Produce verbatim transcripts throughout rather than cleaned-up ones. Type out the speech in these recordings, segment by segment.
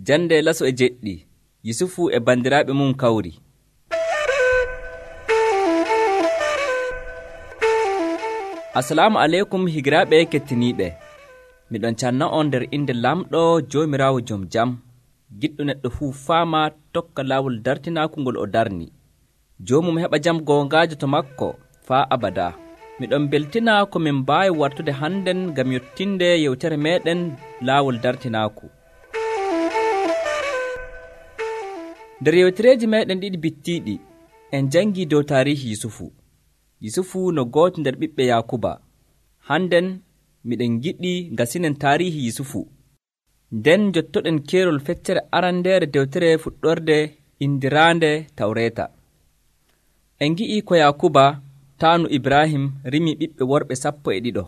Jande laso e jeɗɗi, Yusufu e bandiraaɓe mum kawri. Assalamu aleykum higiraaɓe kettiniiɓe. Miɗon canna on nder inde lamɗo Joomiraawo jom jam, giɗɗo neɗɗo fuu faama tokka laawol dartinaaku ngol o darni. Joomum heɓa jam goongaajo to makko faa abada. Miɗon beltina ko min mbaawi wartude hannden ngam yottinde yewtere meeɗen laawol dartinaaku. Nder yewtereeji meeɗen ɗiɗi bittiiɗi, en janngii dow taarihi Yusufu. Yusufu no gooto nder ɓiɓɓe Yaakuba. Hannden miɗen giɗi gasinen taarihi Yusufu. Nden jottoɗen keerol feccere arandeere dewtere fuɗɗorde indiraande Tawreeta. En ngi'ii ko Yaakuba taanu Ibrahim rimi ɓiɓɓe worɓe sappo e ɗiɗo.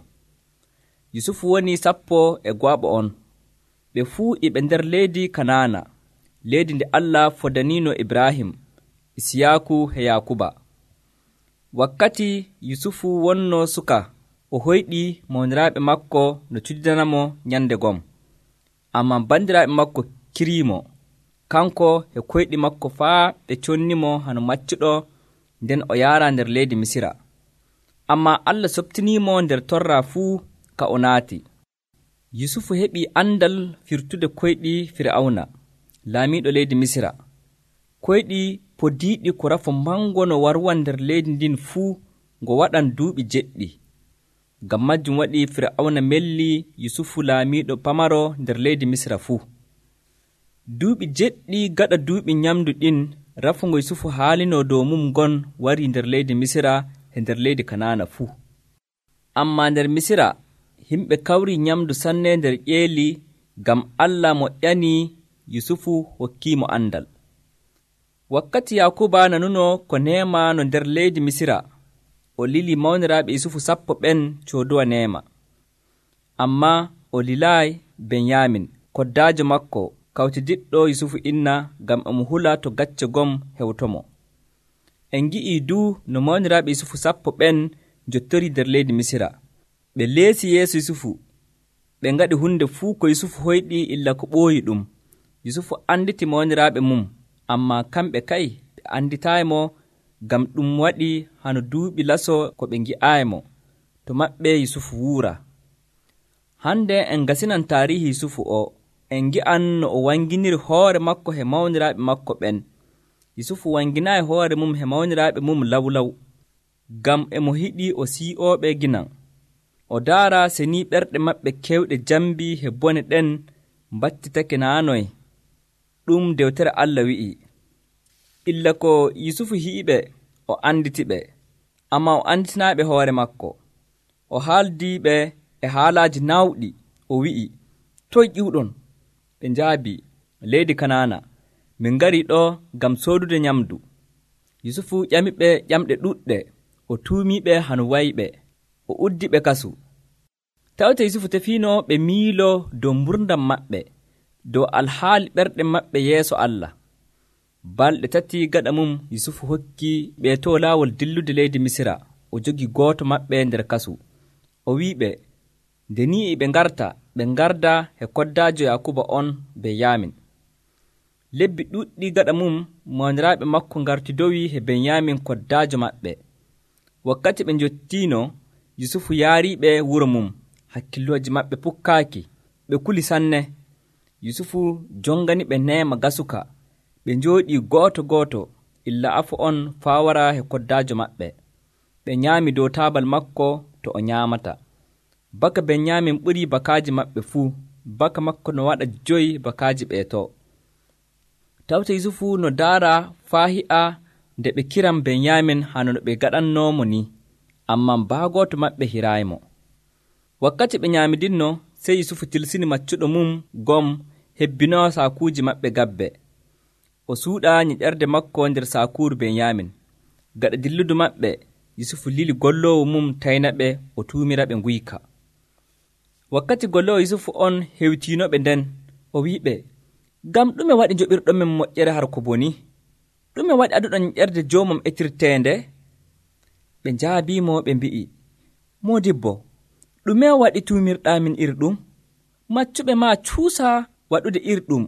Yusufu woni sappo e gooɓo on. Ɓe fuu iɓe nder leydi Kanaana, leydi nde Allah fodaniino Ibrahim, Isiyaaku e Yaakuba. Wakkati Yusufu wonno suka, o hoyɗii mawniraaɓe makko no cuddidanamo nyande gom. Ammaa bandiraaɓe makko kiriimo, kanko e koyɗi makko faa ɓe connimo hano maccuɗo, nden o yaara nder leydi Misira. Ammaa Allah soɓtiniimo nder torra fuu ka o naati. Yusufu heɓii andal firtude koyɗi Fir'awna, laamiiɗo leydi Misira. Koyɗi podiiɗi ko rafo mango no warwan nder leydi ndin fuu ngo waɗan duuɓi jeɗɗi. Ngam majjum waɗi Fir'awna melli Yusufu laamiiɗo pamaro nder leydi Misira fuu. Duuɓi jeɗɗi gaɗa duuɓi nyamdu ɗin, rafu ngo Yusufu haalino dow mum ngon wari nder leydi Misira e nder leydi Kanaana fuu. Ammaa nder Misira himɓe kawri nyamdu sanne nder ƴeeli, ngam Allah moƴƴanii Yusufu hokkiimo andal. Wakkati Yaakuba nanuno ko neema no nder leydi Misira, o lili mawniraaɓe Yusufu sappo ɓen cooduwa neema. Ammaa o lilaayi Benyamin, koddaajo makko, kawtidiɗɗo Yusufu inna, ngam omo hula to gacce gom hewtomo. En ngi'ii duu no mawniraaɓe Yusufu sappo ɓen njottori nder leydi Misira. Ɓe leesi yeeso Yusufu, ɓe ngaɗi hunde fuu ko Yusufu hoyɗi illa ko ɓooyi ɗum. Yusufu anditi mawniraaɓe mum, ammaa kamɓe kay ɓe anditaaymo, ngam ɗum waɗi hano duuɓi laso ko ɓe ngi'aaymo. To maɓɓe Yusufu wuura. Hande en gasinan taarihi Yusufu o, en ngi'an no o wanginiri hoore makko he mawniraaɓe makko ɓen. Yusufu wanginaayi hoore mum he mawniraaɓe mum lawlaw, ngam emo hiɗi o sii'ooɓe ginan. O daara senii ɓerɗe maɓɓe kewɗe jambi he bone ɗen mbattitake naanoy. Ɗum dewtere Allah wi'i. Illa ko Yusufu hi'iɓe, o anditiɓe, ammaa o anditinaaɓe hoore makko. O haaldiiɓe e haalaaji naawɗi, o wi'i, toy ƴiwɗon? Ɓe njaabi, leydi Kanaana, min ngarii ɗo ngam soodude nyamdu. Yusufu ƴamiɓe ƴamɗe ɗuɗɗe, o tuumiiɓe hano wayiɓe, o uddiɓe kasu. Tawte Yusufu tefiino ɓe miilo dow mburdam maɓɓe, dow alhaali ɓerɗe maɓɓe yeeso Allah. Balɗe tati gaɗa mum Yusufu hokki ɓe to laawol dillude leydi Misira, o jogi gooto maɓɓe nder kasu. O wi'iɓe, nde ni e ɓe ngarta, ɓe ngarda e koddaajo Yaakuba on Benyamin. Lebbi ɗuɗɗi gaɗa mum mawniraaɓe makko ngartidowi e Benyamin koddaajo maɓɓe. Wakkati ɓe njottiino, Yusufu yaariiɓe wuro mum, hakkillooji maɓɓe pukkaaki, ɓe kuli sanne. Yusufu jongani ɓe neema gasuka, ɓe njooɗii gooto gooto, illa afo on faa wara e koddaajo maɓɓe. Ɓe nyaami dow taabal makko to o nyaamata. Baka Benyamin ɓurii bakaaji maɓɓe fuu, baka makko no waɗa joyi bakaaji ɓeeto. Tawte Yusufu no daara faa hi'a nde ɓe kiran Benyamin hano no ɓe gaɗannoomo ni, ammaa baagooto maɓɓe hiraayimo. Wakkati ɓe nyaamidinno, sey Yusufu tilsini maccuɗo mum gom hebbinoo saakuuji maɓɓe gabbe. O suuɗa nyiƴerde makko nder saakuuru Benyamin. Gaɗa dilludu maɓɓe, Yusufu lili golloowo mum taynaɓe, o tuumira ɓe nguyka. Wakkati golloowo Yusufu on hewtiinoɓe nden, o wi'iɓe, ngam ɗume waɗi njoɓirɗonmin moƴƴere har ko boni? Ɗume waɗi aduɗon nyiƴerde joomum etirteende? Ɓe njaabiimo ɓe mbi'i, Moodibbo, ɗume waɗi tuumirɗaa min iri ɗum? Maccuɓe maa cuusa waɗude iri ɗum.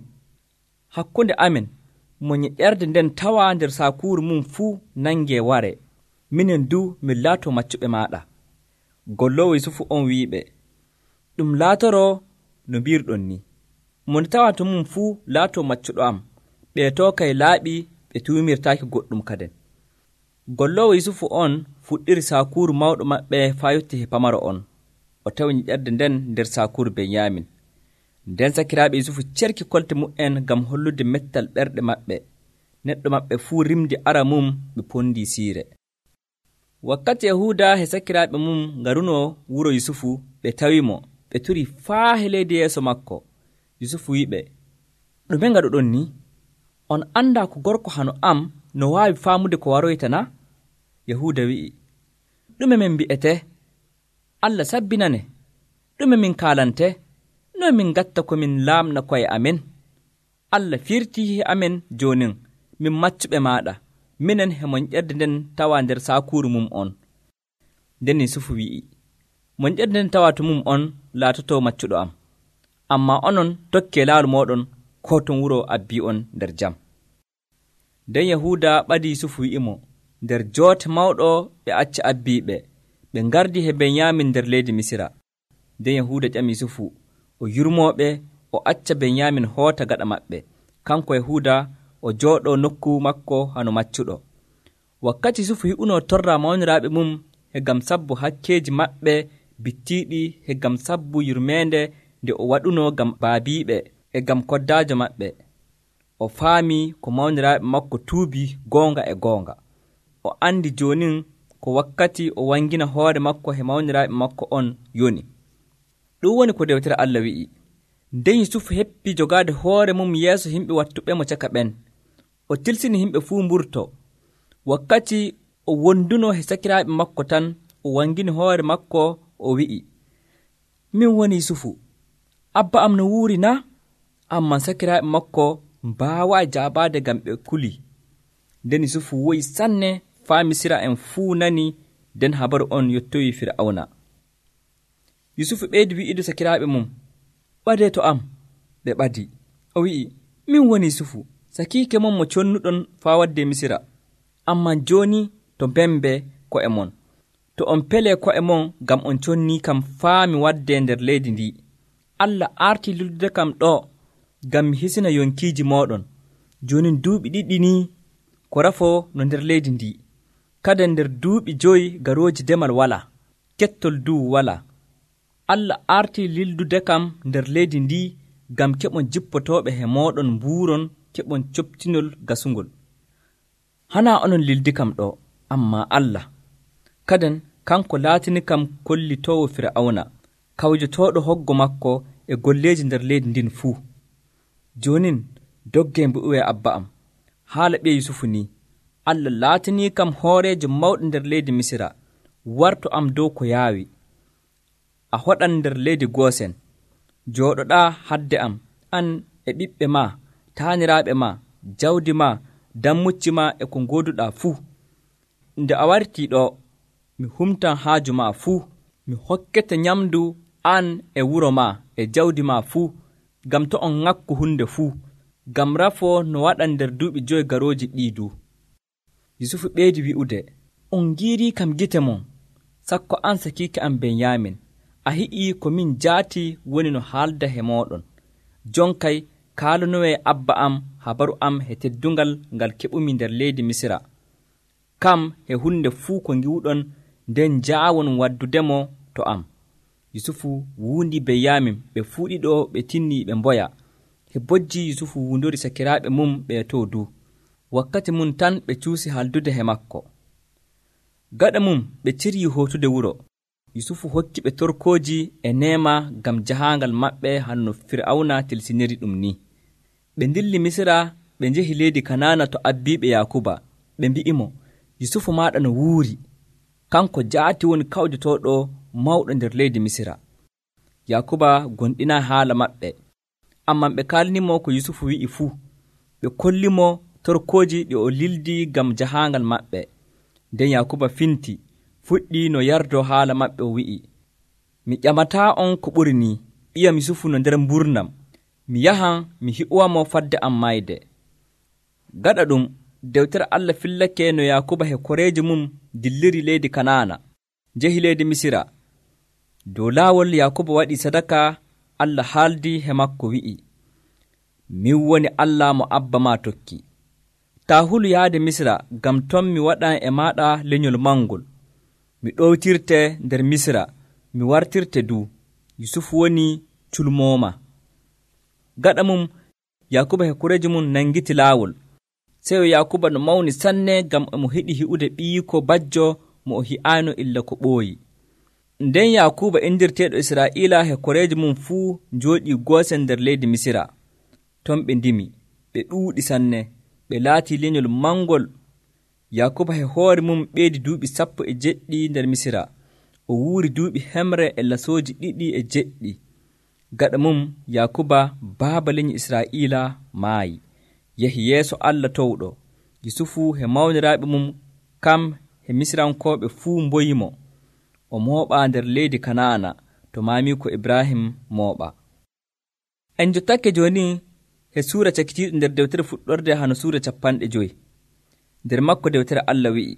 hakkunde amen mo nyeƴƴerde nden tawa nder sakuuru mum fuu nangee ware, minen du min laato maccuɓe maaɗa. Golloowo Yusufu on wi'iɓe, ɗum laatoroo no mbiirɗon ni. Mo nde tawa to mum fuu laato maccuɗo am, ɓeetoo kay laaɓi ɓe tuumirtaaki goɗɗum kaden. Golloowo Yusufu on fuɗɗiri sakuuru mawɗo maɓɓe faa yotti he pamaro on, o tawi nyeƴƴerde nden nder sakuuru Benyamin. Nden sakiraaɓe Yusufu cerki kolte mu'en ngam hollude mettal ɓerɗe maɓɓe. Neɗɗo maɓɓe fuu rimdi ara mum ɓe pondii siire. Wakkati Yahuuda he sakiraaɓe mum ngarunoo wuro Yusufu, ɓe tawimo, ɓe turi faa he leydi yeeso makko. Yusufu wi'iɓe, ɗume ngaɗuɗon ni? On anndaa ko gorko hano am no waawi faamude ko waroyta na? Yahuuda wi'i, ɗume min mbi'ete? Allah sabbinane. Ɗume min kaalante? No min gatta ko min laamna koye amen? Allah firtii he amen joonin, min maccuɓe maaɗa, minen he moƴƴerde nden tawa nder sakuuru mum on. Nden Yusufu wi'i, moƴƴerde nden tawa to mum on laatotoo maccuɗo am, ammaa onon tokkee laaru mooɗon koo ton wuro abbii on nder jam. Nden Yahuuda ɓadi Yusufu wi'imo, nder joote mawɗo ɓe acca abbiiɓe, ɓe ngardi he Benyamin nder leydi Misira. Nden Yahuuda ƴami Yusufu, o yurmooɓe, o acca Benyamin hoota gaɗa maɓɓe, kanko Yahuuda o jooɗoo nokku makko hano maccuɗo. Wakkati Yusufu hi'unoo torra mawniraaɓe mum he gam sabbu hakkeeji maɓɓe bittiiɗi, he gam sabbu yurmeende nde o waɗunoo gam baabiiɓe e gam koddaajo maɓɓe, o faamii ko mawniraaɓe makko tuubi goonga e goonga. O andi joonin ko wakkati o wangina hoore makko he mawniraaɓe makko on yoni. Ɗum woni ko dewtere Allah wi'i. Nden Yusufu heppii jogaade hoore mum yeeso yimɓe wattuɓe mo caka ɓen. O tilsini yimɓe fuu mburto. Wakkati o wondunoo he sakiraaɓe makko tan, o wangini hoore makko, o wi'i, min woni Yusufu, abba am no wuuri na? Amman sakiraaɓe makko mbaawaa jaabaade ngam ɓe kuli. Nden Yusufu woyi sanne faa Misira en fuu nani, nden habaru on yottoyi Fir'awna. Yusufu ɓeydi wi'idu sakiraaɓe mum, ɓadee to am. Ɓe ɓadi. O wi'i, min woni Yusufu, sakiike mon mo connuɗon faa wadde Misira. Amman jooni to mbembe ko'e mon. To on pelee ko'e mon ngam on connii kam faa mi wadde nder leydi ndi. Allah aartii lildude kam ɗo ngam mi hisina yonkiiji mooɗon. Jooni duuɓi ɗiɗi ni ko rafoo no nder leydi ndi. Kada nder duuɓi joyi garooji demal walaa, kettol duu walaa. Allah aartii lildude kam nder leydi ndi ngam keɓon jippotooɓe he mooɗon mbuuron, keɓon coptinol gasungol. Hanaa onon lildi kam ɗo, ammaa Allah. Kaden kanko laatini kam kollitoowo Fir'awna, kawjotooɗo hoggo makko e golleeji nder leydi ndin fuu. Joonin doggee mbu'uwee abba am. Haala ɓiye Yusufu ni, Allah laatinii kam hooreejo mawɗo nder leydi Misira, warto am dow ko yaawi. A hoɗan nder leydi Goosen, jooɗoɗaa hadde am, an e ɓiɓɓe maa, taaniraaɓe maa, jawdi maa, dammucci maa e ko ngooduɗaa fuu. Nde a wartii ɗo, mi humtan haaju maa fuu, mi hokkete nyamdu an e wuro maa e jawdi maa fuu, ngam to on ŋakku hunde fuu, ngam rafoo no waɗan nder duuɓi joyi garooji ɗiidu. Yusufu ɓeydi wi'ude, on ngiirii kam gite mon, sakko an sakiike am Benyamin, a hi'ii ko min jaati woni no haalda he mooɗon. Jonkay kaalanowee abba am habaru am he teddungal ngal keɓumi nder leydi Misira. Kam he hunde fuu ko ngiwɗon, nden njaawon waddudemo to am. Yusufu wuundi Benyamin, ɓe fuu ɗiɗo ɓe tinnii ɓe mboya. He bojji Yusufu wuundori sakiraaɓe mum ɓe to du. Wakkati mum tan ɓe cuusi haldude he makko. Gaɗa mum ɓe cirii hootude wuro. Yusufu hokki ɓe torkooji e neema ngam jahaangal maɓɓe hanno Fir'awna tilsiniri ɗum ni. Ɓe ndilli Misira, ɓe njehi leydi Kanaana to abbiiɓe Yaakuba. Ɓe mbi'imo, Yusufu maaɗa no wuuri, kanko jaati woni kawjotooɗo mawɗo nder leydi Misira. Yaakuba gonɗinaa haala maɓɓe, amman ɓe kaalinimo ko Yusufu wi'i fuu. Ɓe kollimo torkooji ɗi o lildi ngam jahaangal maɓɓe. Nden Yaakuba finti, fuɗɗi no yardoo haala maɓɓe, o wi'i, mi ƴamataa on ko ɓuri ni, ɓiyam Yusufu no nder mburnam, mi yahan mi hi'uwamo fadde am mayde. Gaɗa ɗum dewtere Allah fillake no Yaakuba he koreeji mum dilliri leydi Kanaana, njehi leydi Misira. Dow laawol Yaakuba waɗi sadaka, Allah haaldi he makko wi'i, min woni Allah mo abba ma tokki. Ta hulu yaade Misira, gam ton mi waɗan e maɗa lenyol mangol. Mi ɗowtirte nder Misira, mi wartirte du. Yusufu woni culmooma. Gaɗa mum Yaakuba he koreeji mum nangiti laawol. Seyo Yaakuba no mawni sanne gam emo hiɗi hi'ude ɓiyiko bajjo mo o hi'aano illa ko ɓooyi. Nden Yaakuba indirteeɗo Israa'iila he koreeji mum fuu njooɗii goosen nder leydi Misira. Ton ɓe ndimi, ɓe ɗuuɗi sanne, ɓe laatii lenyol mangol. Yaakuba he hoore mum ɓeydi duuɓi sappo e jeɗɗi nder Misira. O wuuri duuɓi hemre e lasooji ɗiɗi e jeɗɗi. Gaɗa mum Yaakuba baaba leñi Israa'iila maayi, yehi yeeso Allah towɗo. Yusufu he mawniraaɓe mum kam he Misirankooɓe fuu mboyimo. O mooɓa nder leydi Kanaana to maamiiko Ibrahim mooɓa. En jottake jooni he suura cakitiiɗo nder dewtere fuɗɗorde hano suura capanɗe joyi. Nder makko dewtere Allah wi'i,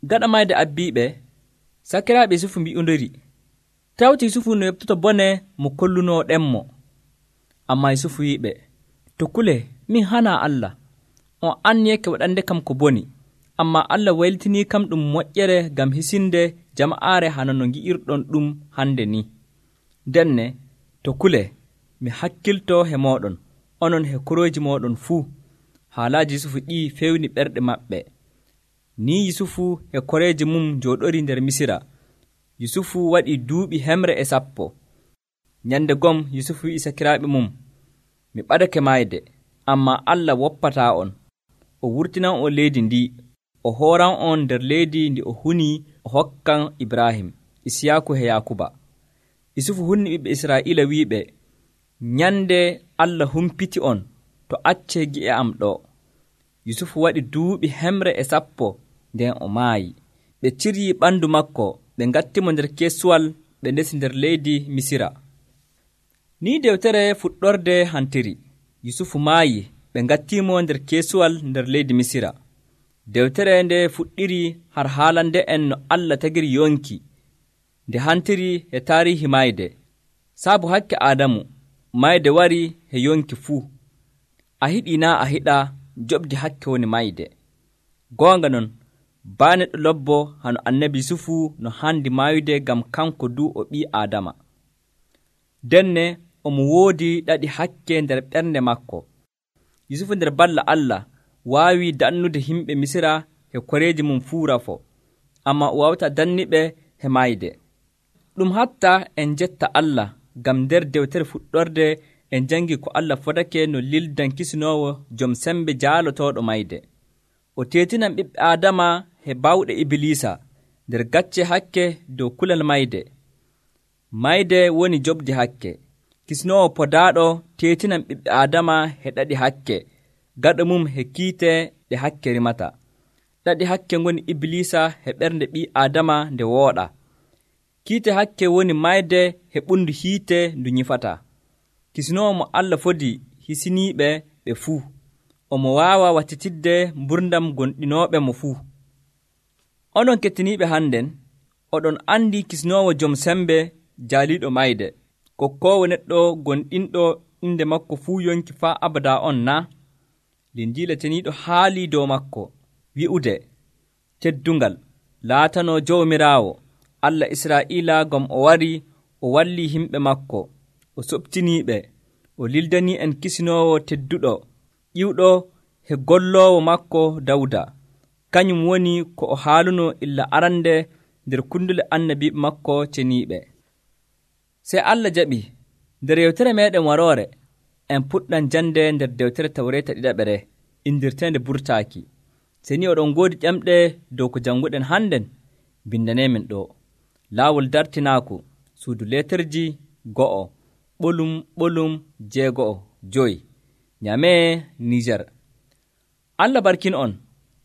gaɗa mayde abbiiɓe, sakiraaɓe Yusufu mbi'ondiri, tawti Yusufu no yoɓtoto bone mo kollunooɗenmo. Ammaa Yusufu wi'iɓe, to kule min hana Allah, on anniyeke waɗande kam ko boni, ammaa Allah waylitinii kam ɗum moƴƴere gam hisinde jama'aare hano no ngi'irɗon ɗum hande ni. Denne, to kule mi hakkilto he mooɗon, onon he korooji mooɗon fuu. Haalaaji Yusufu ɗi fewni ɓerɗe maɓɓe. Ni Yusufu e koreeji mum njooɗori nder Misira. Yusufu waɗi duuɓi hemre e sappo. Nyande gom Yusufu wi'i sakiraaɓe mum, mi ɓadake mayde, ammaa Allah woppataa on. O wurtinan on leydi ndi, o hooran on nder leydi ndi o hunii o hokkan Ibrahim, Isiyaaku e Yaakuba. Yusufu hunni ɓiɓɓe Israa'iila wi'iɓe, nyande Allah humpiti on to accee gi'e am ɗo. Yusufu waɗi duuɓi hemre e sappo nden o maayi. Ɓe ciryii ɓanndu makko, ɓe ngattimo nder keesuwal, ɓe ndesi nder leydi Misira. Ni dewtere fuɗɗorde hantiri. Yusufu maayi, ɓe ngattiimo nder keesuwal nder leydi Misira. Dewtere nde fuɗɗiri har haalande en no Allah tagiri yonki, nde hantiri e taarihi mayde. Saabu hakke Aadamu, mayde wari he yonki fuu. A hiɗii naa a hiɗa, joɓdi hakke woni mayde. Goonga non, baa neɗɗo lobbo hano annabi Yusufu no handi maayude gam kanko du o ɓii Aadama. Denne omo woodi ɗaɗi hakke nder ɓernde makko. Yusufu nder balla Allah waawi dannude himɓe Misira he koreeji mum fuu rafo, amma o wawta danniɓe he mayde. Ɗum hatta en jetta Allah gam nder dewtere fuɗɗorde en jangi ko Allah fotake no lildan kisinoowo jom sembe jaalotooɗo mayde. O teetinan ɓiɓɓe Aadama he bawɗe Ibilisa nder gacce hakke dow kulal mayde. Mayde woni joɓdi hakke. Kisinoowo podaaɗo teetinan ɓiɓɓe Aadama he ɗaɗi hakke, gaɗa mum he kiite ɗe hakke rimata. Ɗaɗi hakke ngoni Ibilisa he ɓernde ɓii Aadama nde wooɗa. Kiite hakke woni mayde he ɓundu hiite ndu nyifata. Kisinoowo mo Allah fodi hisiniiɓe ɓe fuu, omo waawa wattitidde mburdam gonɗinooɓe mo fuu. Onon kettiniiɓe hannden, oɗon andi kisinoowo jom sembe jaaliiɗo mayde, kokkoowo neɗɗo gonɗinɗo inde makko fuu yonki faa abada on na? Linjiila teniiɗo haalii dow makko, wi'ude, teddungal, laatanoo Jawmiraawo, Allah Israa'iila gam o wari o wallii himɓe makko, o soɓtiniiɓe, o lildanii en kisinoowo tedduɗo, ƴiwɗo he golloowo makko Dawda. Kañum woni ko o haaluno illa arande nder kundule annabiiɓe makko ceniiɓe. Sey Allah jaɓi, nder yewtere meeɗen waroore, en puɗɗan jande nder dewtere Tawreeta ɗiɗaɓere, indirteende burtaaki. Se ni oɗon ngoodi ƴamɗe dow ko jannguɗen hannden, bindaneemin ɗo. Laawol dartinaaku, suudu leeterji go'o, ɓolum ɓolum jeego'o joyi, Nyame Niger. Allah barkin on,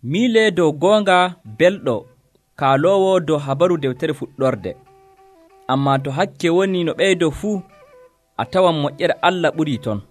miile dow goonga belɗo, kaaloowo dow habaru dewtere fuɗɗorde. Ammaa to hakke woni no ɓeydo fuu, a tawan moƴƴere Allah ɓurii ton.